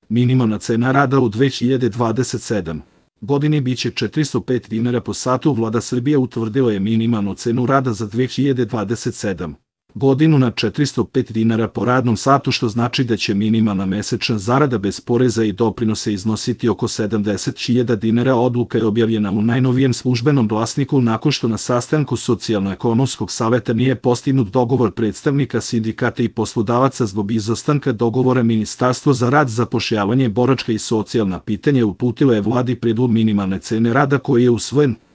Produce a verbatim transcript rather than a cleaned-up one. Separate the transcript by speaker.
Speaker 1: Minimalna cena rada u dve hiljade dvadeset sedmoj godini biće četiristo pet dinara po satu. Vlada Srbije utvrdila je minimalnu cenu rada za dve hiljade dvadeset sedmu godinu na četiristo pet dinara po radnom satu, što znači da će minimalna mesečna zarada bez poreza i doprinose iznositi oko sedamdeset hiljada dinara. Odluka je objavljena u najnovijem službenom glasniku nakon što na sastanku Socijalno-ekonomskog saveta nije postignut dogovor predstavnika sindikata i poslodavaca. Zbog izostanka dogovora, Ministarstvo za rad, zapošljavanje, boračka i socijalna pitanja uputilo je Vladi predlog minimalne cene rada koji je usvojen.